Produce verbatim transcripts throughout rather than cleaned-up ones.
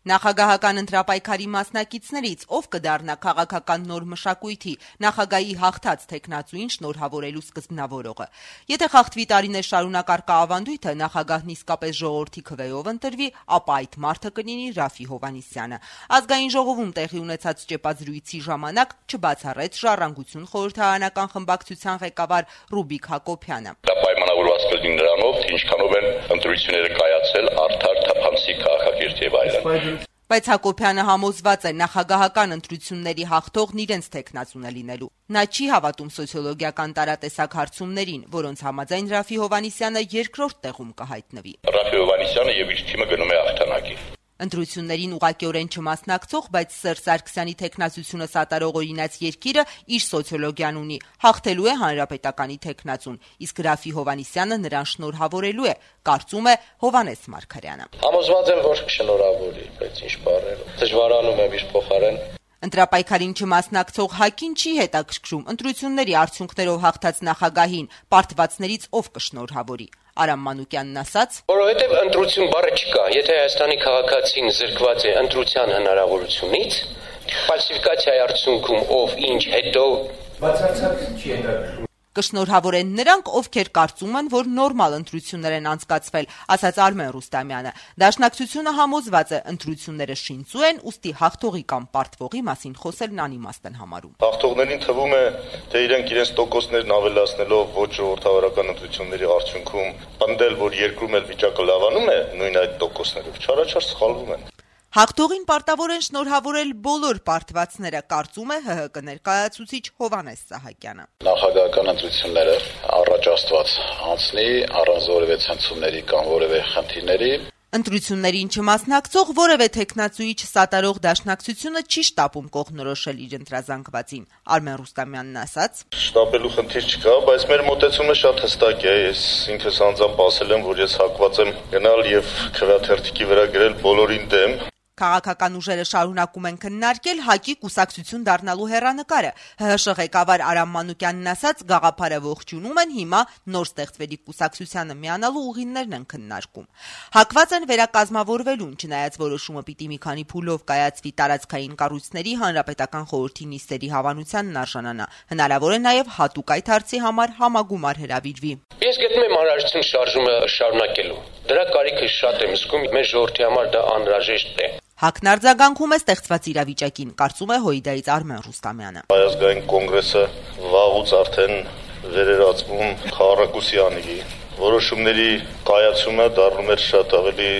Նախագահական ընտրապայքարի մասնակիցներից ով կդառնա քաղաքական նոր մշակույթի նախագահի հաղթած թեկնածուին շնորհավորելու սկզբնավորողը։ Եթե խախտվի տարիներ շարունակ առկա ավանդույթը, նախագահն իսկապես ժողովրդի քվեով ընտրվի, ապա այդ մարդը կլինի Ռաֆի Հովհաննիսյանը։ Ազգային ժողովում տեղի ունեցած ճեպազրույցի ժամանակ չբացառեց Ժառանգություն խորհրդարանական խմբակցության ղեկավար Ռուբիկ Հակոբյանը։ Դա պայմանավորված կլինի նրանով, թե ինչքանով են ընտրությունները կայացել արդար, թափանցիկ, քաղաքակիրթ եւ այլն։ Բայց Հակոբյանը համոզված է նախագահական ընտրությունների հաղթողն իրենց թեկնածուն է լինելու։ Նա չի հավատում սոցիոլոգիական տարատեսակ հարցումներին, որոնց համաձայն Ռաֆի Հովհաննիսյանը երկրորդ տեղում կհայտնվի։ Ռաֆի Հովհաննիսյանը եւ իր թիմը գնում է հաղթանակի։ Ընտրություններին ուղղակիորեն չմասնակցող, բայց Սերժ Սարգսյանի թեկնածությունը սատարող օրինաց երկիրը իր սոցիոլոգիան ունի, հաղթելու է հանրապետականի թեկնածուն, իսկ Ռաֆի Հովհաննիսյանը նրան շնորհավորելու է, կարծում է Հովհաննես Մարգարյանը։ Համոզված եմ, որ կշնորհավորի, բայց ինչ բառերով։ Դժվարանում եմ իր փոխարեն։ Ընտրապայքարին չմասնակցող ՀԱԿ-ին չի հետաքրքրում ընտրությունների արդյունքներով հաղթած նախագահին պարտվածներից ով կշնորհավորի։ Արամ Մանուկյանն ասաց. Որովհետև ընտրություն բառը չկա, եթե Հայաստանի քաղաքացին զրկված է ընտրության հնարավորությունից, ֆալսիֆիկացիայի արդյունքում ով ինչ հետո բացարձակ չի հետաքրքրում։ Կշնորհավորեն նրանք, ովքեր կարծում են, որ նորմալ ընտրություններ են անցկացվել, ասաց Արմեն Ռուստամյանը։ Դաշնակցությունը համոզված է, ընտրությունները շինծու են, ուստի հաղթողի կամ պարտվողի մասին խոսելն անիմաստ են համարում։ Հաղթողներին թվում է, թե իրենք իրենց տոկոսներն ավելացնելով ոչ ժողովրդավարական ընտրությունների արդյունքում պնդել, որ երկրում էլ վիճակը լավանում է, նույն այդ տոկոսներով չարաչար սխալվում են։ Հաղթողին պարտավոր են շնորհավորել բոլոր պարտվածները, կարծում է ՀՀԿ ներկայացուցիչ Հովհաննես Սահակյանը։ Նախագահական ընտրությունները առաջ աստված անցնի առանց որևէ ցնցումների կամ որևէ խնդիրների։ Ընտրություններին չմասնակցող որևէ թեկնածուի չսատարող դաշնակցությունը չի շտապում կողմնորոշել իր ընտրազանգվածին։ Արմեն Ռուստամյանն ասաց. Շտապելու խնդիր չկա, բայց մեր մոտեցումը շատ հստակ է։ Ես ինքս անձամբ ասել եմ, որ ես հակված եմ գնալ եւ քվեաթերթիկի վրա գրել բոլորին դեմ։ Քաղաքական ուժերը շարունակում են քննարկել ՀԱԿ-ի կուսակցություն դառնալու հեռանկարը։ ՀՀՇ ղեկավար Արամ Մանուկյանն ասաց, գաղափարը ողջունում են, հիմա նոր ստեղծվելի կուսակցությանը միանալու ուղիներն են քննարկում։ Հակված են վերակազմավորվելուն, չնայած որոշումը պիտի մի քանի փուլով կայացվի տարածքային կառույցների հանրապետական խորհրդի նիստերի հավանությանն արժանանա։ Հնարավոր է նաև հատուկ այդ հարցի համար համագումար հրավիրվի։ Ես գտնում եմ անհրաժեշտություն շարժումը շարունակելու։ Դրա կարիքը շատ եմ զգում, մեր ժողովրդի համար դա անհրաժեշտ է։ ՀԱԿ-ն արձագանքում է ստեղծված իրավիճակին, կարծում է Հույդայից Արմեն Ռուստամյանը։ Հայազգային կոնգրեսը վաղուց արդեն վերերացվում խաղաղակուսի անիվի։ Որոշումների կայացումը դառնում էր շատ ավելի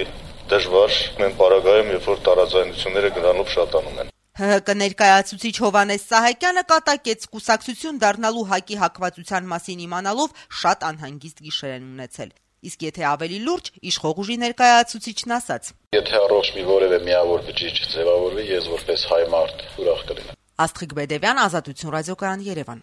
դժվար մեն պարագայում, երբ որ տարաձայնությունները գրանով շատանում են։ ՀՀԿ ներկայացուցիչ Հովհաննես Սահակյանը կատակեց կուսակցություն դառնալու ՀԱԿ-ի հակվածության մասին իմանալով շատ անհանգիստ գիշեր են ունեցել։ Իսկ եթե ավելի լուրջ, իշխող ուժի ներկայացուցիչն ասաց. Եթե առողջ մի որևէ միավոր բջիջ ձևավորվի, ես որպես հայ մարդ ուրախ կլինեմ։ Աստղիկ Բեդևյան, Ազատություն ռադիոկայան, Երևան։